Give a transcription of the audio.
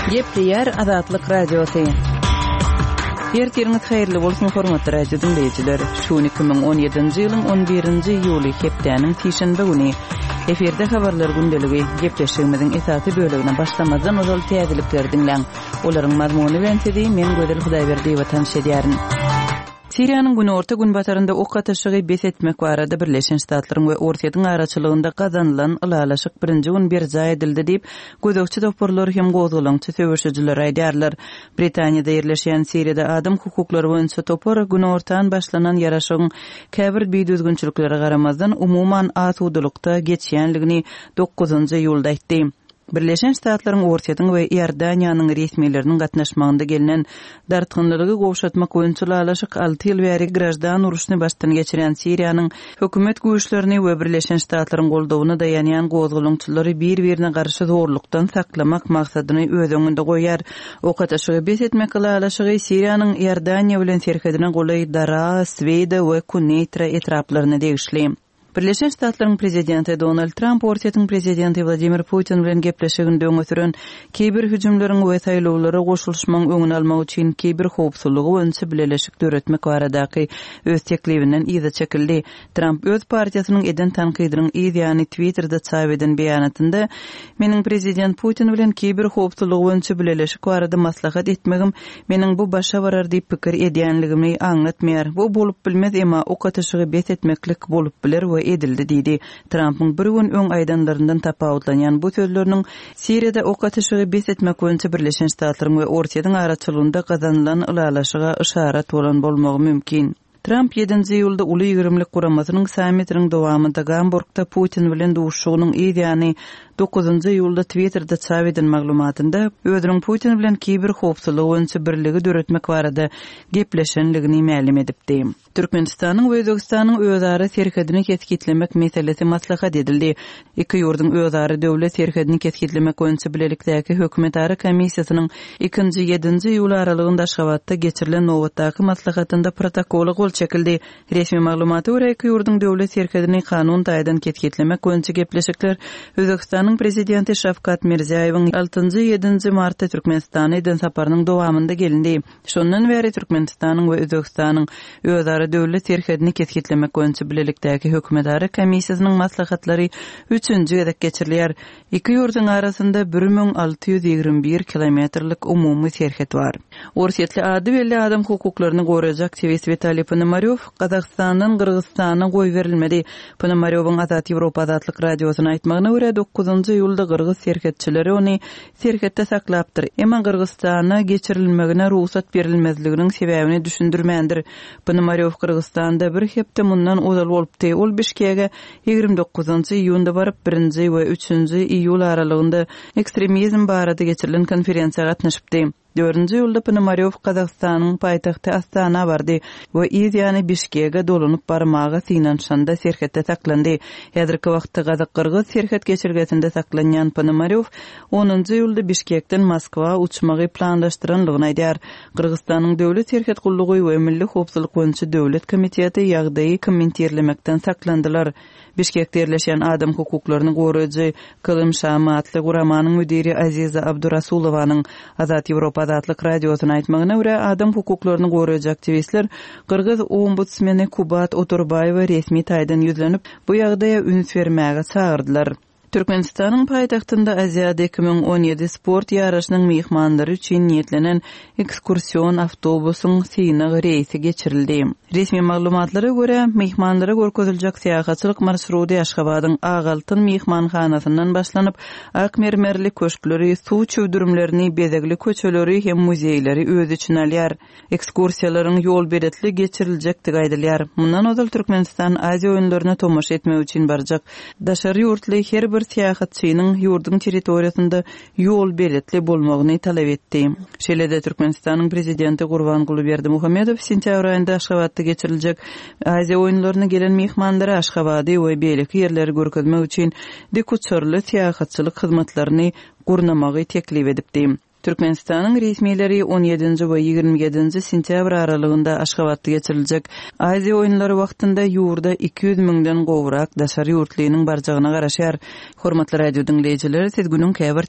Gepleýär Azatlyk Radiosy. Ertiriňiz haýyrly bolsun, hormatly radio diňleýjiler. Şu gün 2017-nji ýylyň 11-nji iýuly, hepdäniň sişenbe güni. Efirde habarlar gündeligi. Gepleşigimiziň esasy bölegine başlamazdan ozal täzelikleri diňläň. Olaryň mazmuny bilen sizi men Gözel Hudaýberdiýewa tanyş edýärin. Siriýanyň günorta-günbatarynda ok atyşygy bes etmek barada Birleşen Ştatlaryň we Orsýetiň araçylygynda gazanylan ylalaşyk birinji gün berjaý edildi diýip, gözegçi toparlar hem gozgalaňçy söweşijiler aýdýarlar. Britaniýada ýerleşýän Siriýada adam hukuklary boýunça topar günortan başlanan ýaraşygyň käbir bidüzgünçiliklere garamazdan, umuman asudalykda geçýänligini dokuzynjy iýulda aýtdy. Birleşen Ştatlaryň, Orsýetiň we Iordaniýanyň resmileriniň gatnaşmagynda gelnen dartgynlylygy gowşatmak boýunça ylalaşyk alty ýyl bäri graždan urşuny başdan geçirýän Siriýanyň hökümet güýçlerini we Birleşen Ştatlaryň goldawyna daýanýan gozgalaňçylary bir-birine garşy zorlukdan saklamak maksadyny öz öňünde goýýar. Ok atyşygy bes etmek ylalaşygy Siriýanyň Iordaniýa bilen serhedine golaý Daraa, Sweýda we Kuneýtra etraplaryna degişli. Birleşen Ştatlaryň prezidenti Donald Tramp Orsýetiň prezidenti Wladimir Putin bilen gepleşiginde öňe süren kiber hüjümleriň we saýlawlara goşulyşmagyň öňüni almak üçin kiber howpsuzlygy boýunça bileleşik döretmek baradaky öz teklibinden yza çekildi. Tramp öz partiýasynyň eden tankydynyň yz ýany Twitterde çap eden beýanatynda, Meniň prezident Putin bilen kiber howpsuzlygy boýunça bileleşik barada maslahat etmegim Meniň bu başa barar diýip pikir edýänligimi aňlatmaýar. Bu bolup bilmez, emma ok atyşygy bes etmeklik bolup biler we edildi diýdi. Trampyň bir gün öň aýdanlaryndan tapawutlanýan bu sözleriniň Siriýada ok atyşygy bes etmek boýunça Birleşen Ştatlaryň we Orsýetiň araçylygynda gazanylan ylalaşyga yşarat bolan bolmagy mümkin. Tramp ýedinji iýulda Uly ýigrimlik guramasynyň sammitiniň dowamynda Gamburgda Putin bilen duşuşygynyň yz ýany dokuzynjy iýulda Twitterde çap eden maglumatynda özüniň Putin bilen kiber howpsuzlygy boýunça birligi döretmek barada gepleşenligini mälim edipdi. Türkmenistanyň we Özbegistanyň özara serhedini kesgitlemek meselesi maslahat edildi. Iki ýurduň özara döwlet serhedini kesgitlemek boýunça bilelikdäki hökümetara komissiýasynyň ikinji, ýedinji iýul aralygynda Aşgabatda geçirilen nobatdaky maslahatynda protokola gol çekildi. Resmi maglumata görä, iki ýurduň döwlet serhedini kanun taýdan kesgitlemek boýunça gepleşikler Özbegistanyň Prezidenti Şawkat Mirziýaýewiň altynjy, ýedinji martda Türkmenistana eden saparynyň dowamynda gelindi. Şondan bäri Türkmenistanyň we Özbegistanyň özara döwlet serhedini kesgitlemek boýunça bilelikdäki hökümetara komissiýasynyň maslahatlary üçünji gezek geçirilýär. Iki ýurduň arasynda 1621 kilometrlik umumy serhet bar. Orsýetli ady belli adam hukuklaryny goraýjy aktiwist Witaliý Ponomarýow Gazagystandan Gyrgyzystana goýberilmedi. Ponomarýowyň Azat Ýewropa Azatlyk Radiosyna aýtmagyna görä, dokuzynjy iýulda gyrgyz serhetçileri ony serhetde saklapdyr, emma Gyrgyzystana geçirilmegine rugsat berilmezliginiň sebäbini düşündirmändir. Ponomarýow Gyrgyzystanda bir hepde mundan ozal bolupdy. Ol Bişkege 29 iýunda baryp, birinji we üçünji iýul aralygynda ekstremizm barada geçirilen konferensiýa gatnaşypdy. Dördünji iýulda Ponomarýow Gazagystanyň paýtagty Astana bardy we yz ýany Bişkege dolanyp barmaga synanyşanda serhetde saklandy. Häzirki wagtda gazak-gyrgyz serhet geçelgesinde saklanýan Ponomarýow onunjy iýulda Bişkekden Moskwa uçmagy planlaşdyranlygyny aýdýar. Gyrgyzystanyň Döwlet serhet gullugy we Milli howpsuzlyk boýunça döwlet komiteti ýagdaýy kommentirlemekden saklandylar. Bişkekde ýerleşýän adam hukuklaryny goraýjy Kylym Şamy atly guramanyň müdiri Aziza Abdurasulowanyň Azat Ýewropa Azatlyk Radiosyna aýtmagyna görä, adam hukuklaryny goraýjy aktiwistler gyrgyz ombudsmeni Kubat Otorbaýewe resmi taýdan ýüzlenip, bu ýagdaýa üns bermäge çagyrdylar. Türkmenistanyň paýtagtynda Aziada 2017 sport ýaryşynyň myhmanlary üçin niýetlenen ekskursion awtobusyň synag reýsi geçirildi. Resmi maglumatlara görä, myhmanlara görkeziljek syýahatçylyk marşrudy Aşgabadyň Ak Altyn myhmanhanasyndan başlanyp, ak mermerli köşkleri, suw çüwdürimlerini, bezegli köçeleri hem muzeýleri öz içine alýar. Ekskursiýalaryň ýolbeletli geçiriljekdigi aýdylýar. Mundan ozal Türkmenistan Aziýa oýunlaryna tomaşa etmek üçin barjak daşary ýurtly her bir syýahatçynyň ýurduň territoriýasynda ýolbeletli bolmagyny talap etdi. Şeýle-de Türkmenistanyň Prezidenti Gurbanguly Berdimuhamedow sentýabr aýynda Aşgabatda geçiriljek Aziýa oýunlaryna gelen myhmanlara Aşgabady we beýleki ýerleri görkezmek üçin dikuçarly syýahatçylyk hyzmatlaryny gurnamagy teklip edipdi. Türkmenistanyň resmileri on ýedinji we 27 nji sentýabr aralygynda Aşgabatda geçiriljek Aziýa oýunlary wagtynda ýurda 200 müňden gowrak daşary ýurtlynyň barjagyna garaşýar. Hormatly radio diňleýjiler, siz günüň käbir.